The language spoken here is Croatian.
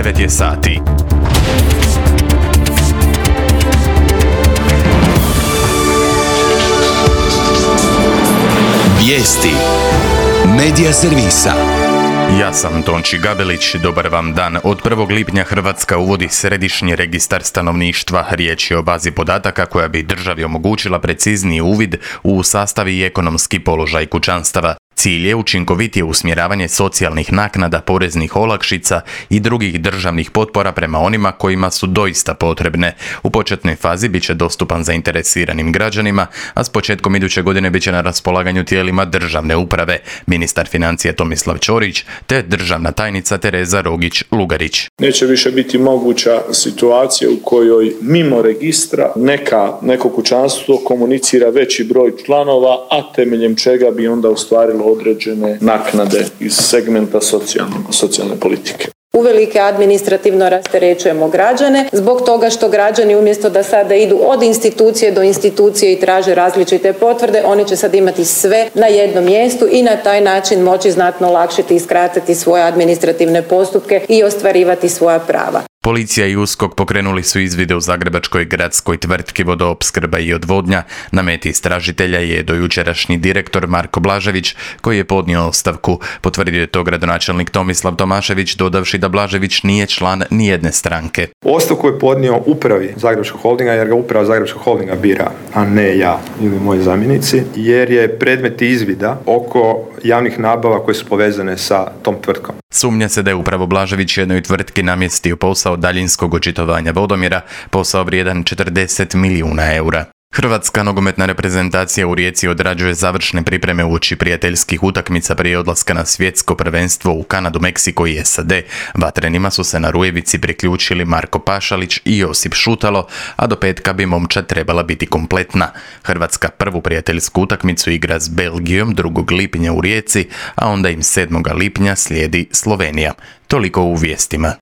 9 je sati. Vijesti Medija servisa. Ja sam Tonči Gabelić, dobar vam dan. Od 1. lipnja Hrvatska uvodi središnji registar stanovništva. Riječ je o bazi podataka koja bi državi omogućila precizniji uvid u sastav i ekonomski položaj kućanstava. Cilj je učinkovitije usmjeravanje socijalnih naknada, poreznih olakšica i drugih državnih potpora prema onima kojima su doista potrebne. U početnoj fazi bit će dostupan zainteresiranim građanima, a s početkom iduće godine bit će na raspolaganju tijelima državne uprave, ministar financija Tomislav Ćorić te državna tajnica Tereza Rogić-Lugarić. Neće više biti moguća situacija u kojoj mimo registra neko kućanstvo komunicira veći broj članova, a temeljem čega bi onda ostvarilo određene naknade iz segmenta socijalne politike. Uvelike administrativno rasterećujemo građane zbog toga što građani umjesto da sada idu od institucije do institucije i traže različite potvrde, oni će sad imati sve na jednom mjestu i na taj način moći znatno olakšati i skratiti svoje administrativne postupke i ostvarivati svoja prava. Policija i USKOK pokrenuli su izvide u zagrebačkoj gradskoj tvrtki Vodoopskrba i odvodnja. Na meti istražitelja je dojučerašnji direktor Marko Blažević, koji je podnio ostavku. Potvrdio je to gradonačelnik Tomislav Tomašević, dodavši da Blažević nije član nijedne stranke. Ostavku je podnio upravi Zagrebačkog holdinga, jer ga uprava Zagrebačkog holdinga bira, a ne ja ili moji zamjenici, jer je predmet izvida oko javnih nabava koje su povezane sa tom tvrtkom. Sumnja se da je upravo Blažević jednoj tvrtki namjestio posao daljinskog očitovanja vodomjera, posao vrijedan 40 milijuna eura. Hrvatska nogometna reprezentacija u Rijeci odrađuje završne pripreme uoči prijateljskih utakmica prije odlaska na svjetsko prvenstvo u Kanadu, Meksiko i SAD. Vatrenima su se na Rujevici priključili Marko Pašalić i Josip Šutalo, a do petka bi momčad trebala biti kompletna. Hrvatska prvu prijateljsku utakmicu igra s Belgijom 2. lipnja u Rijeci, a onda im 7. lipnja slijedi Slovenija. Toliko u vijestima.